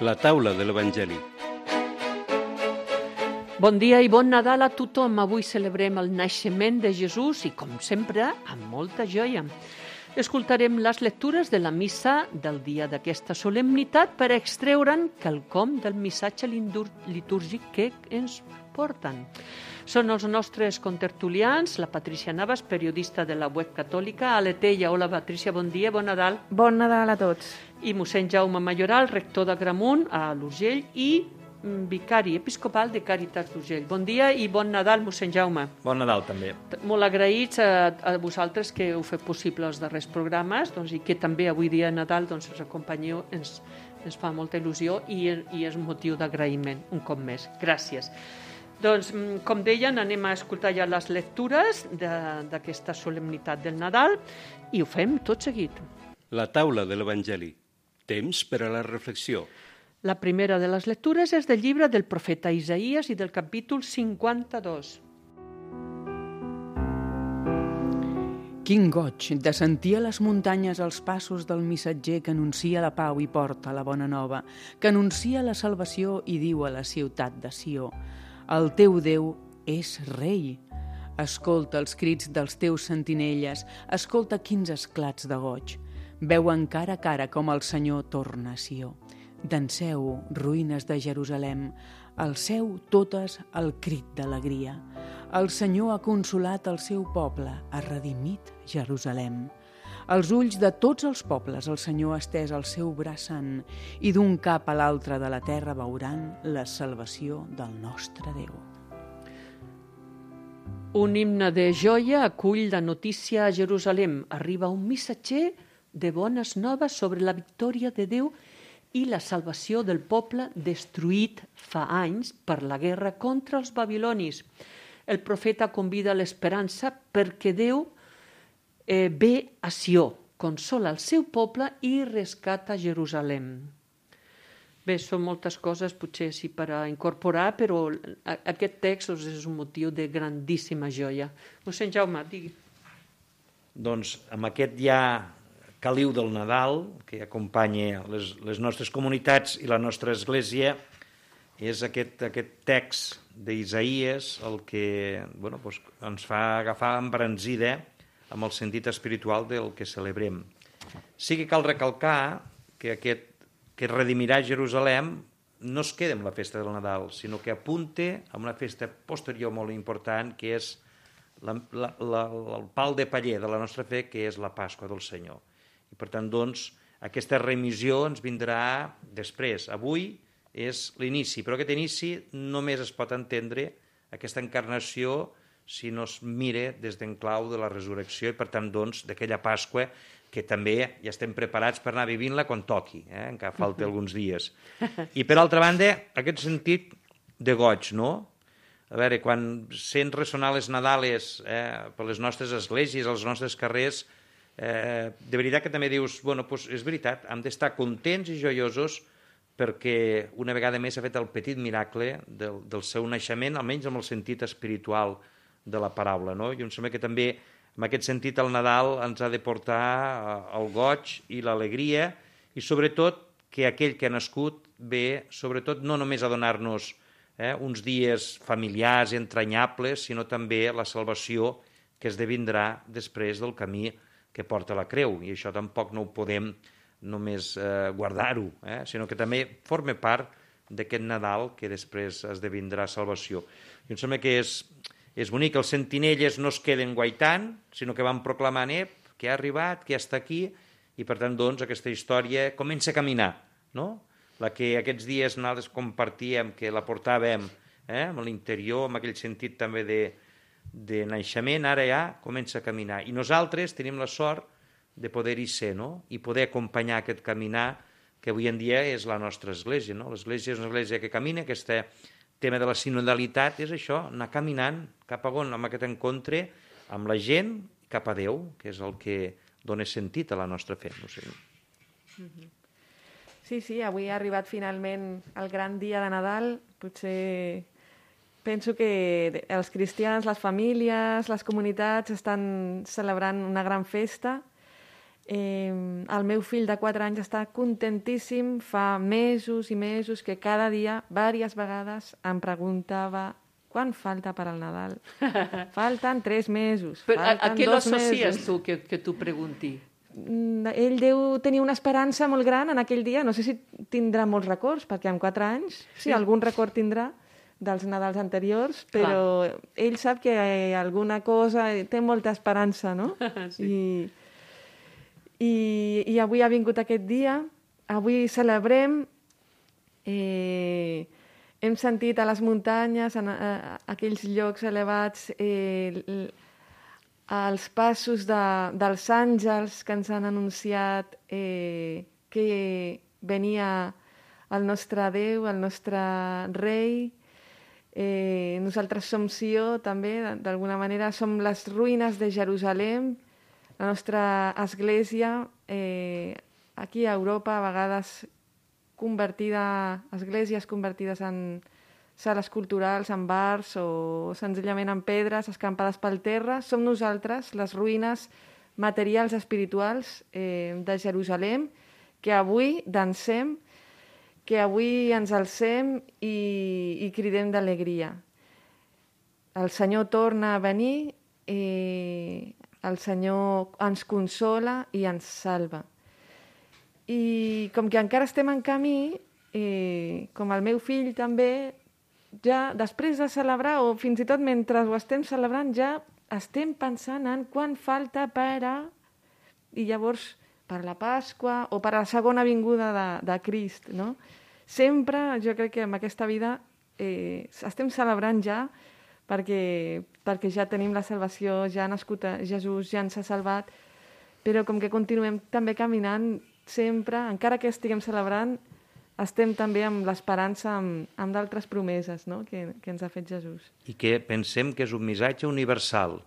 La taula de l'Evangeli. Bon dia i bon Nadal a tothom. Avui celebrem el naixement de Jesús i, com sempre, amb molta joia. Escoltarem les lectures de la missa del dia d'aquesta solemnitat per extreure'n quelcom del missatge litúrgic que ens porten. Són els nostres contertulians, la Patrícia Navas, periodista de la web catòlica, a l'Etella. Hola, Patrícia, bon dia, bon Nadal. Bon Nadal a tots. I mossèn Jaume Mayoral, rector d'Agramunt, a l'Urgell, i vicari episcopal de Càritas d'Urgell. Bon dia i bon Nadal, mossèn Jaume. Bon Nadal, també. Molt agraïts a vosaltres que heu fet possible els darrers programes, doncs, i que també avui dia de Nadal ens acompanyeu, ens fa molta il·lusió i és motiu d'agraïment, un cop més. Gràcies. Doncs, com deien, anem a escoltar ja les lectures d'aquesta solemnitat del Nadal i ho fem tot seguit. La taula de l'Evangeli. Temps per a la reflexió. La primera de les lectures és del llibre del profeta Isaïes i del capítol 52. Quin goig de sentir a les muntanyes els passos del missatger que anuncia la pau i porta la bona nova, que anuncia la salvació i diu a la ciutat de Sió: el teu Déu és rei. Escolta els crits dels teus sentinelles, escolta quins esclats de goig. Veuen cara a cara com el Senyor torna a Sió. Danseu, ruïnes de Jerusalem, alceu totes el crit d'alegria. El Senyor ha consolat el seu poble, ha redimit Jerusalem. Als ulls de tots els pobles el Senyor ha estès el seu braç sant i d'un cap a l'altre de la terra veuran la salvació del nostre Déu. Un himne de joia acull la notícia a Jerusalem. Arriba un missatger de bones noves sobre la victòria de Déu i la salvació del poble destruït fa anys per la guerra contra els babilonis. El profeta convida a l'esperança perquè Déu ve a Sió, consola el seu poble i rescata Jerusalem. Bé, són moltes coses, potser sí per a incorporar, però aquest text és un motiu de grandíssima joia. Mossèn Jaume, digui. Doncs amb aquest ja caliu del Nadal, que acompanya les nostres comunitats i la nostra església, és aquest text d'Isaïes el que ens fa agafar embranzida amb el sentit espiritual del que celebrem. Sí que cal recalcar que aquest que redimirà Jerusalem no es queda amb la festa del Nadal, sinó que apunta a una festa posterior molt important, que és el pal de paller de la nostra fe, que és la Pasqua del Senyor. I per tant, doncs, aquesta remissió ens vindrà després. Avui és l'inici, però aquest inici només es pot entendre, aquesta encarnació, si no es mira des d'en clau de la resurrecció i, per tant, doncs, d'aquella Pasqua que també ja estem preparats per anar vivint-la quan toqui, encara falta alguns dies. I, per altra banda, aquest sentit de goig, no? A veure, quan sents ressonar les Nadales per les nostres esglésies, als nostres carrers, de veritat que també dius, és veritat, hem d'estar contents i joiosos perquè una vegada més ha fet el petit miracle del seu naixement, almenys amb el sentit espiritual de la paraula, no? I em sembla que també en aquest sentit el Nadal ens ha de portar el goig i l'alegria i sobretot que aquell que ha nascut ve sobretot no només a donar-nos uns dies familiars i entranyables, sinó també la salvació que esdevindrà després del camí que porta la creu, i això tampoc no ho podem només guardar-ho, sinó que també forma part d'aquest Nadal que després esdevindrà salvació. I em sembla que és bonic que els sentinelles no es queden guaitant, sinó que van proclamant que ha arribat, que està aquí, i per tant, doncs, aquesta història comença a caminar, no? La que aquests dies nosaltres compartíem, que la portàvem amb l'interior, amb aquell sentit també de naixement, ara ja comença a caminar. I nosaltres tenim la sort de poder-hi ser, no? I poder acompanyar aquest caminar que avui en dia és la nostra església, no? L'església és una església que camina, aquest tema de la sinodalitat és això, anar caminant cap a on, amb aquest encontre amb la gent, cap a Déu, que és el que dona sentit a la nostra fe. No sé. Sí, avui ha arribat finalment el gran dia de Nadal. Potser penso que els cristians, les famílies, les comunitats estan celebrant una gran festa El meu fill de 4 anys està contentíssim, fa mesos i mesos que cada dia, diverses vegades, em preguntava quan falta per al Nadal. Falten 3 mesos, Però a falten què 2 l'associes mesos. tu que t'ho pregunti? Ell deu tenir una esperança molt gran en aquell dia. No sé si tindrà molts records, perquè amb 4 anys, sí, algun record tindrà dels Nadals anteriors, però ell sap que alguna cosa té molta esperança, no? Sí. I avui ha vingut aquest dia, avui celebrem, hem sentit a les muntanyes, en aquells llocs elevats, els passos dels àngels que ens han anunciat que venia el nostre Déu, el nostre rei. Nosaltres som Sió, també, d'alguna manera, som les ruïnes de Jerusalem. La nostra església, aquí a Europa, a vegades esglésies convertides en sales culturals, en bars o senzillament en pedres escampades pel terra, som nosaltres, les ruïnes materials espirituals de Jerusalem, que avui dansem, que avui ens alcem i cridem d'alegria. El Senyor torna a venir, el Senyor ens consola i ens salva. I com que encara estem en camí, com el meu fill també, ja després de celebrar, o fins i tot mentre ho estem celebrant, ja estem pensant en quan falta per a... I llavors, per la Pasqua o per a la segona vinguda de Crist, no? Sempre, jo crec que en aquesta vida estem celebrant ja perquè ja tenim la salvació, ja ha nascut Jesús, ja ens ha salvat, però com que continuem també caminant sempre, encara que estiguem celebrant, estem també amb l'esperança, amb d'altres promeses, no? que ens ha fet Jesús. I que pensem que és un missatge universal,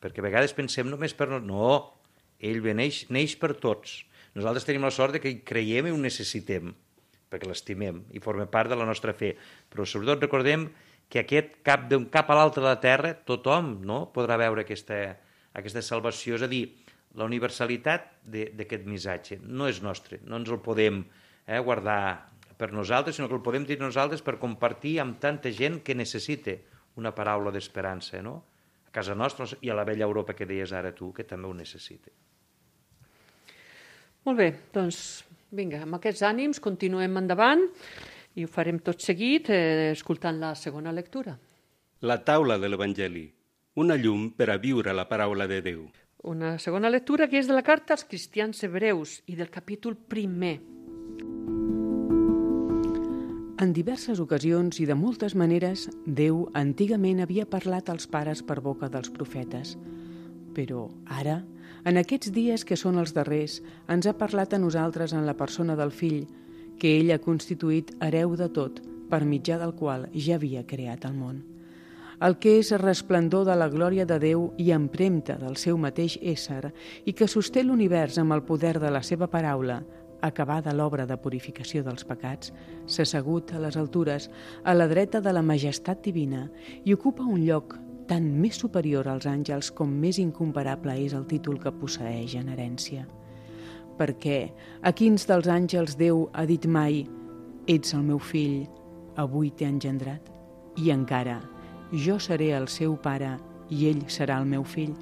perquè a vegades pensem només per... No, ell neix per tots. Nosaltres tenim la sort de que hi creiem i ho necessitem, perquè l'estimem i forma part de la nostra fe. Però sobretot recordem que d'un cap a l'altre de la terra tothom, no, podrà veure aquesta salvació. És a dir, la universalitat d'aquest missatge no és nostre, no ens el podem guardar per nosaltres, sinó que el podem dir nosaltres per compartir amb tanta gent que necessita una paraula d'esperança, no? A casa nostra i a la vella Europa que deies ara tu, que també ho necessita. Molt bé, doncs vinga, amb aquests ànims continuem endavant i ho farem tot seguit escoltant la segona lectura. La taula de l'Evangeli, una llum per a viure la paraula de Déu. Una segona lectura que és de la carta als cristians hebreus i del capítol 1. En diverses ocasions i de moltes maneres, Déu antigament havia parlat als pares per boca dels profetes. Però ara, en aquests dies que són els darrers, ens ha parlat a nosaltres en la persona del Fill, que ell ha constituït hereu de tot, per mitjà del qual ja havia creat el món. El que és resplendor de la glòria de Déu i empremta del seu mateix ésser i que sosté l'univers amb el poder de la seva paraula, acabada l'obra de purificació dels pecats, s'ha assegut a les altures, a la dreta de la majestat divina i ocupa un lloc tant més superior als àngels com més incomparable és el títol que posseeix en herència. Perquè a quins dels àngels Déu ha dit mai «Ets el meu fill, avui t'he engendrat» i encara «Jo seré el seu pare i ell serà el meu fill».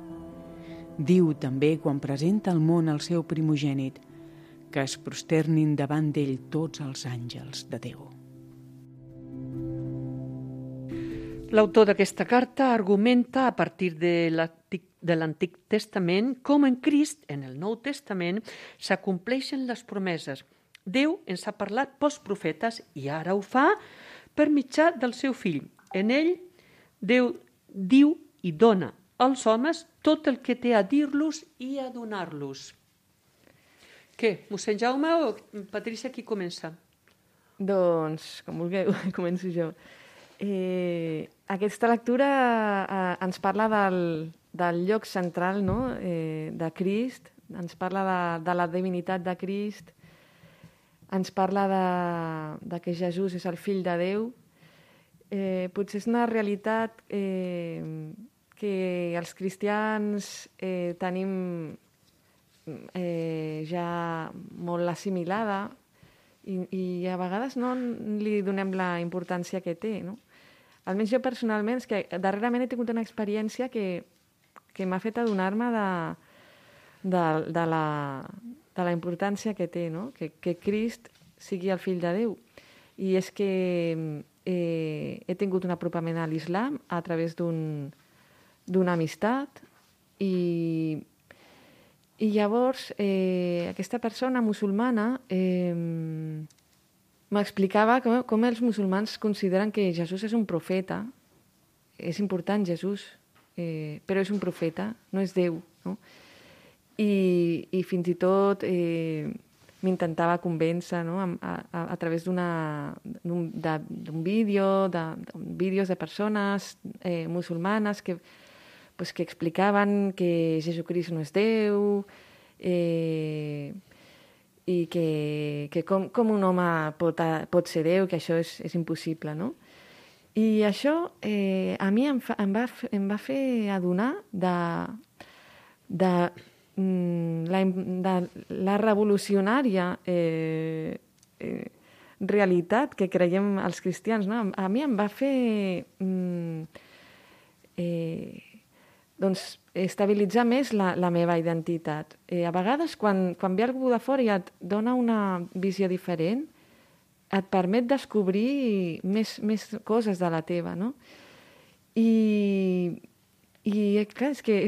Diu també quan presenta al món el seu primogènit que es prosternin davant d'ell tots els àngels de Déu. L'autor d'aquesta carta argumenta a partir de l'Antic Testament com en Crist, en el Nou Testament, s'acompleixen les promeses. Déu ens ha parlat pels profetes i ara ho fa per mitjà del seu fill. En ell, Déu diu i dona als homes tot el que té a dir-los i a donar-los. Què? Mossèn Jaume o Patrícia, qui comença? Doncs, com vulgueu, començo jo. Aquesta lectura ens parla del lloc central, no? De Crist, ens parla de la divinitat de Crist, ens parla de que Jesús és el fill de Déu. Potser és una realitat que els cristians tenim ja molt assimilada i a vegades no li donem la importància que té, no? Almenys jo personalment, és que darrerament he tingut una experiència que m'ha fet adonar-me de la importància que té, no? Que Crist sigui el fill de Déu. I és que he tingut un apropament a l'islam a través d'una amistat i llavors aquesta persona musulmana m'explicava com els musulmans consideren que Jesús és un profeta. És important Jesús, però és un profeta, no és Déu, no? I fins i tot m'intentava convèncer, no? a través d'un vídeo, vídeos de persones musulmanes que explicaven que Jesucrist no és Déu, i que com un home pot ser Déu, que això és impossible, no? I això a mi em va fer adonar de la revolucionària realitat que creiem els cristians, no? A mi em va fer estabilitzar més la meva identitat. A vegades, quan ve algú de fora i et dona una visió diferent, et permet descobrir més coses de la teva, no? I clar, és que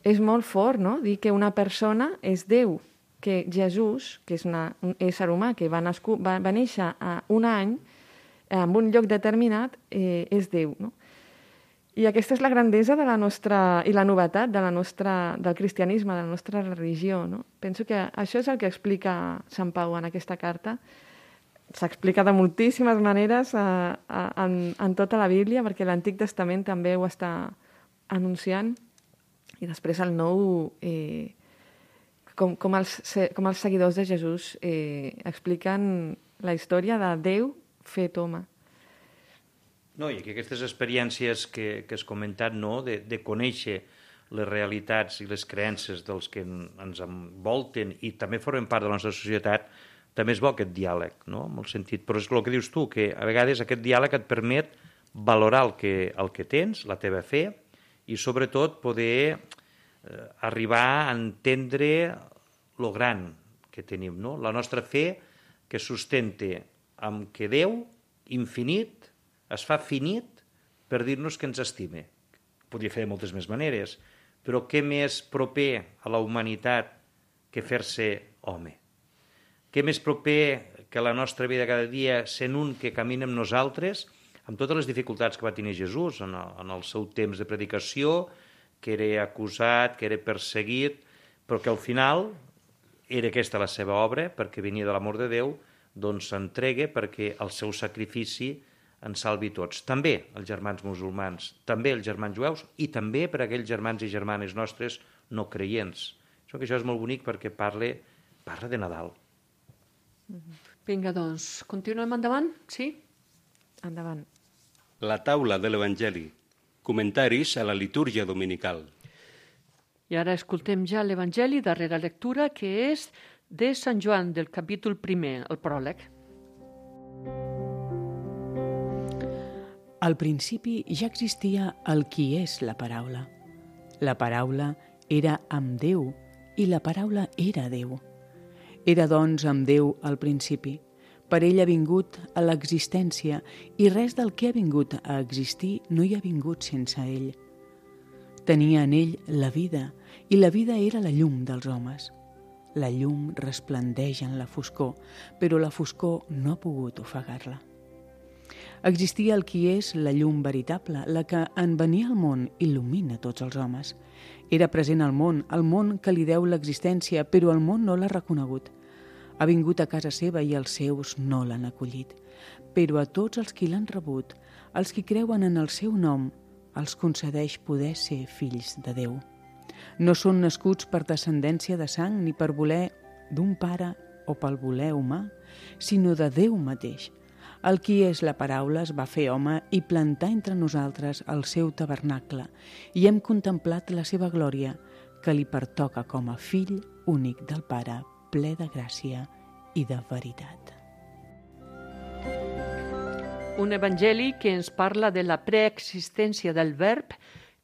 és molt fort, no?, dir que una persona és Déu, que Jesús, que és un ésser humà que va néixer a un any en un lloc determinat, és Déu, no? I aquesta és la grandesa de la nostra, i la novetat del cristianisme, de la nostra religió, no? Penso que això és el que explica Sant Pau en aquesta carta. S'explica de moltíssimes maneres en tota la Bíblia, perquè l'Antic Testament també ho està anunciant, i després el Nou, com els seguidors de Jesús expliquen la història de Déu fet home. No, i aquestes experiències que has comentat, no?, de conèixer les realitats i les creences dels que ens envolten i també formen part de la nostra societat, també és bo aquest diàleg, no?, en el sentit, però és el que dius tu, que a vegades aquest diàleg et permet valorar el que tens, la teva fe, i sobretot poder arribar a entendre lo gran que tenim, no?, la nostra fe que sustenta amb que Déu, infinit, es fa finit per dir-nos que ens estime. Podria fer de moltes més maneres, però què més proper a la humanitat que fer-se home? Què més proper que la nostra vida cada dia sent un que camina amb nosaltres, amb totes les dificultats que va tenir Jesús en el seu temps de predicació, que era acusat, que era perseguit, però que al final era aquesta la seva obra, perquè venia de l'amor de Déu, doncs s'entrega perquè el seu sacrifici ens salvi tots. També els germans musulmans, també els germans jueus i també per a aquells germans i germanes nostres no creients. Això és molt bonic perquè parla de Nadal. Vinga, doncs, continuem endavant? Sí? Endavant. La taula de l'Evangeli. Comentaris a la litúrgia dominical. I ara escoltem ja l'Evangeli, darrera lectura, que és de Sant Joan, del capítol 1, el pròleg. Al principi ja existia el qui és la paraula. La paraula era amb Déu i la paraula era Déu. Era, doncs, amb Déu al principi. Per ell ha vingut a l'existència i res del que ha vingut a existir no hi ha vingut sense ell. Tenia en ell la vida i la vida era la llum dels homes. La llum resplendeix en la foscor, però la foscor no ha pogut ofegar-la. Existia el qui és la llum veritable, la que en venir al món il·lumina tots els homes. Era present al món que li deu l'existència, però el món no l'ha reconegut. Ha vingut a casa seva i els seus no l'han acollit. Però a tots els qui l'han rebut, els qui creuen en el seu nom, els concedeix poder ser fills de Déu. No són nascuts per descendència de sang ni per voler d'un pare o pel voler humà, sinó de Déu mateix. El qui és la paraula es va fer home i plantar entre nosaltres el seu tabernacle, i hem contemplat la seva glòria, que li pertoca com a fill únic del Pare, ple de gràcia i de veritat. Un evangeli que ens parla de la preexistència del verb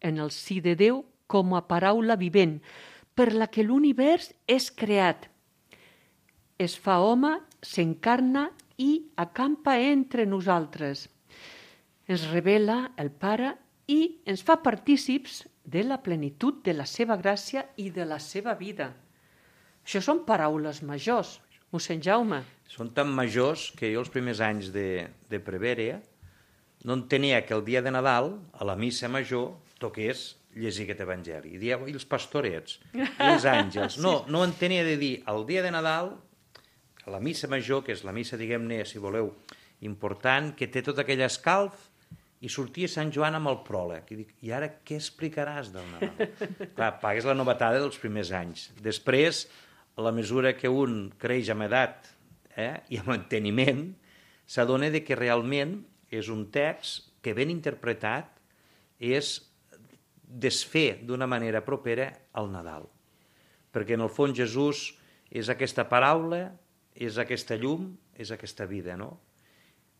en el si de Déu com a paraula vivent, per la que l'univers és creat. Es fa home, s'encarna i acampa entre nosaltres. Ens revela el Pare i ens fa partícips de la plenitud de la seva gràcia i de la seva vida. Això són paraules majors, mossèn Jaume. Són tan majors que jo els primers anys de prevere no entenia que el dia de Nadal, a la missa major, toqués llegir aquest evangeli. I dieu, i els pastorets, i els àngels. No entenia de dir, el dia de Nadal, a la missa major, que és la missa, diguem-ne, si voleu, important, que té tot aquell escalf, i sortia Sant Joan amb el pròleg. I dic, i ara què explicaràs del Nadal? Clar, és la novetada dels primers anys. Després, a la mesura que un creix amb edat i amb enteniment, s'adona que realment és un text que ben interpretat és desfer d'una manera propera al Nadal. Perquè en el fons Jesús és aquesta paraula, és aquesta llum, és aquesta vida, no?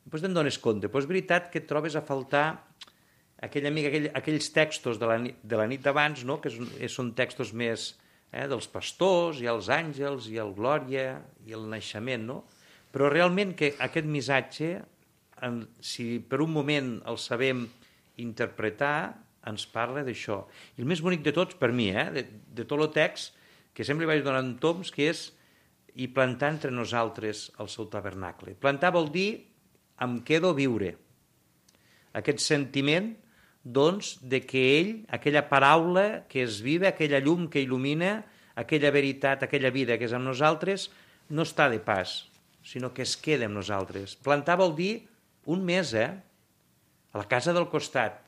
Després te'n dones compte, però és veritat que et trobes a faltar aquells textos de la nit d'abans, no? Que són textos més dels pastors, i els àngels, i el glòria, i el naixement, no? Però realment que aquest missatge, si per un moment el sabem interpretar, ens parla d'això. I el més bonic de tots, per mi, de tot el text, que sempre li vaig donant toms, que és i plantar entre nosaltres el seu tabernacle. Plantar vol dir em quedo a viure. Aquest sentiment, doncs, de que ell, aquella paraula que és viva, aquella llum que il·lumina, aquella veritat, aquella vida que és amb nosaltres, no està de pas, sinó que es queda amb nosaltres. Plantar vol dir un mes, a la casa del costat.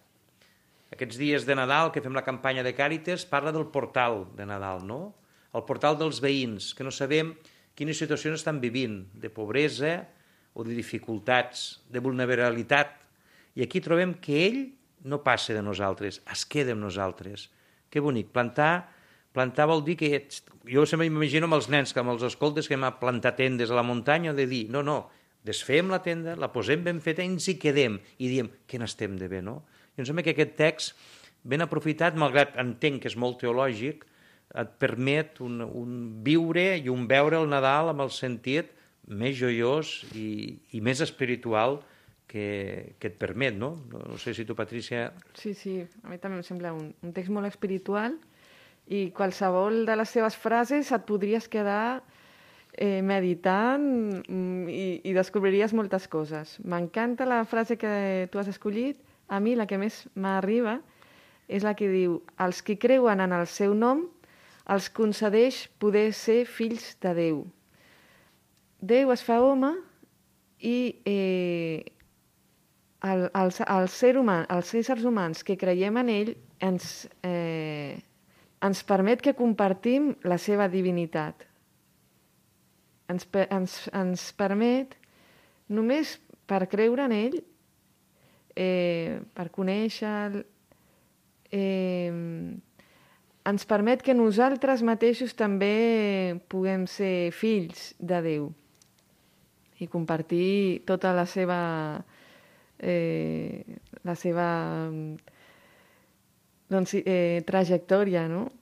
Aquests dies de Nadal que fem la campanya de Càritas parla del portal de Nadal, no? El portal dels veïns, que no sabem quines situacions estan vivint, de pobresa o de dificultats, de vulnerabilitat. I aquí trobem que ell no passa de nosaltres, es queda amb nosaltres. Que bonic. Plantar vol dir que... Jo sempre m'imagino amb els nens, que amb els escoltes que hem plantat tendes a la muntanya, de dir, no, desfem la tenda, la posem ben feta i ens hi quedem. I diem, que n'estem de bé, no? I em sembla que aquest text, ben aprofitat, malgrat entenc que és molt teològic, et permet un viure i un veure el Nadal amb el sentit més joiós i més espiritual que et permet, no? No sé si tu, Patrícia... Sí, a mi també em sembla un text molt espiritual i qualsevol de les seves frases et podries quedar meditant i descobriries moltes coses. M'encanta la frase que tu has escollit. A mi la que més m'arriba és la que diu els qui creuen en el seu nom els concedeix poder ser fills de Déu. Déu es fa home i els éssers humans que creiem en ell ens permet que compartim la seva divinitat. Ens permet, només per creure en ell, per conèixer-lo, ens permet que nosaltres mateixos també puguem ser fills de Déu i compartir tota la seva trajectòria, no?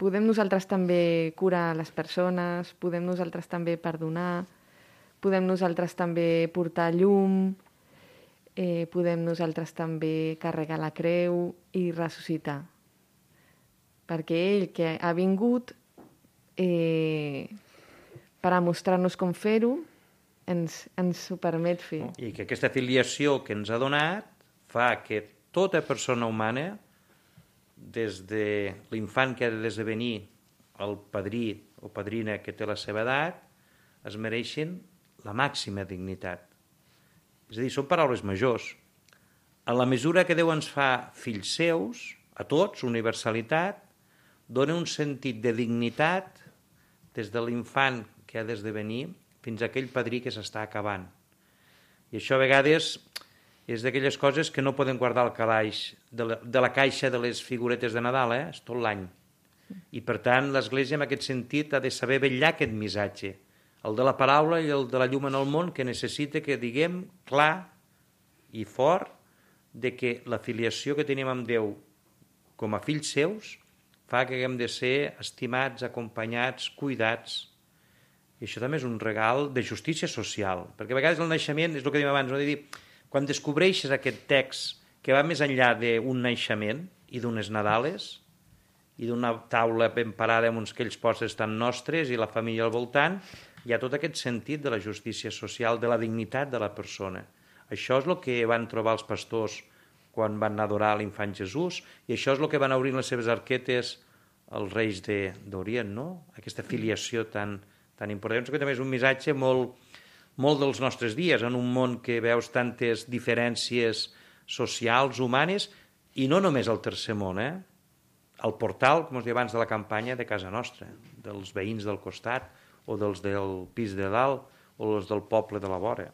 Podem nosaltres també curar les persones, podem nosaltres també perdonar, podem nosaltres també portar llum, podem nosaltres també carregar la creu i ressuscitar. Perquè ell que ha vingut per a mostrar-nos com fer-ho, ens ho permet fer. I que aquesta filiació que ens ha donat fa que tota persona humana, des de l'infant que ha d'esdevenir el padrí o padrina que té la seva edat, es mereixen la màxima dignitat. És a dir, són paraules majors. En la mesura que Déu ens fa fills seus, a tots, universalitat, dona un sentit de dignitat des de l'infant que ha d'esdevenir fins a aquell padrí que s'està acabant. I això a vegades és d'aquelles coses que no poden guardar al calaix de la caixa de les figuretes de Nadal, és tot l'any. I per tant l'Església en aquest sentit ha de saber vetllar aquest missatge, el de la paraula i el de la llum en el món, que necessita que diguem clar i fort de que la filiació que tenim amb Déu com a fills seus fa que haguem de ser estimats, acompanyats, cuidats. I això també és un regal de justícia social, perquè a vegades el naixement, és el que dèiem abans, no? De dir, quan descobreixes aquest text que va més enllà d'un naixement i d'unes Nadales i d'una taula ben parada amb uns aquells postres tan nostres i la família al voltant, hi ha tot aquest sentit de la justícia social, de la dignitat de la persona. Això és el que van trobar els pastors quan van adorar l'infant Jesús, i això és el que van obrir les seves arquetes als reis d'Orient, no? Aquesta filiació tan important. Penso que també és un missatge molt dels nostres dies, en un món que veus tantes diferències socials, humanes, i no només al tercer món, al portal, com us deia abans, de la campanya de casa nostra, dels veïns del costat, o dels del pis de dalt, o els del poble de la vora.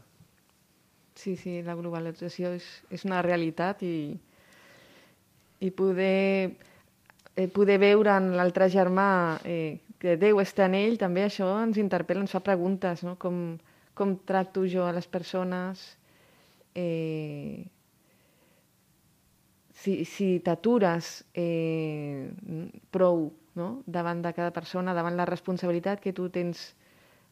Sí, la globalització és una realitat i poder veure en l'altre germà que Déu està en ell, també això ens interpel·la, ens fa preguntes, no? Com tracto jo a les persones, si t'atures prou, no? Davant de cada persona, davant la responsabilitat que tu tens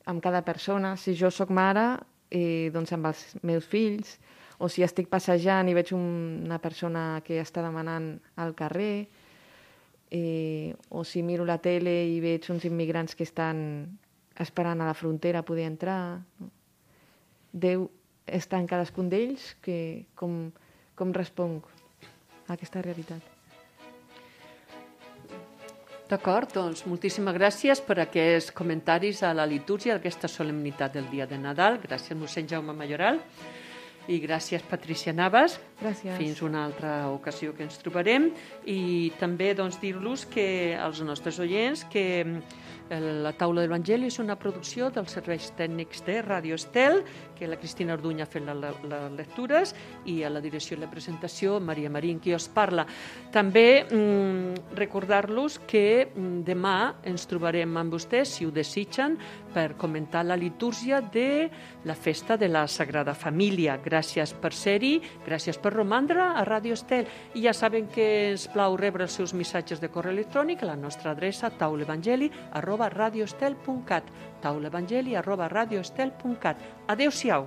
amb cada persona. Si jo sóc mare, doncs amb els meus fills, o si estic passejant i veig una persona que està demanant al carrer, o si miro la tele i veig uns immigrants que estan esperant a la frontera a poder entrar. Déu està en cadascun d'ells, com responc a aquesta realitat. D'acord, doncs moltíssimes gràcies per aquests comentaris a la litúrgia d'aquesta solemnitat del dia de Nadal. Gràcies, mossèn Jaume Mayoral. I gràcies, Patrícia Navas. Gràcies. Fins una altra ocasió que ens trobarem. I també doncs, dir-los que als nostres oients que la taula de l'Evangeli és una producció dels serveis tècnics de Ràdio Estel, que la Cristina Orduña ha fet les lectures, i a la direcció i la presentació Maria Marín, qui us parla. També recordar-los que demà ens trobarem amb vostès, si ho desitgen, per comentar la litúrgia de la festa de la Sagrada Família. Gràcies per ser-hi, gràcies per romandre a Ràdio Estel. I ja saben que ens plau rebre els seus missatges de correu electrònic a la nostra adreça taulevangeli@radioestel.cat taulevangeli@radioestel.cat. Adéu-siau.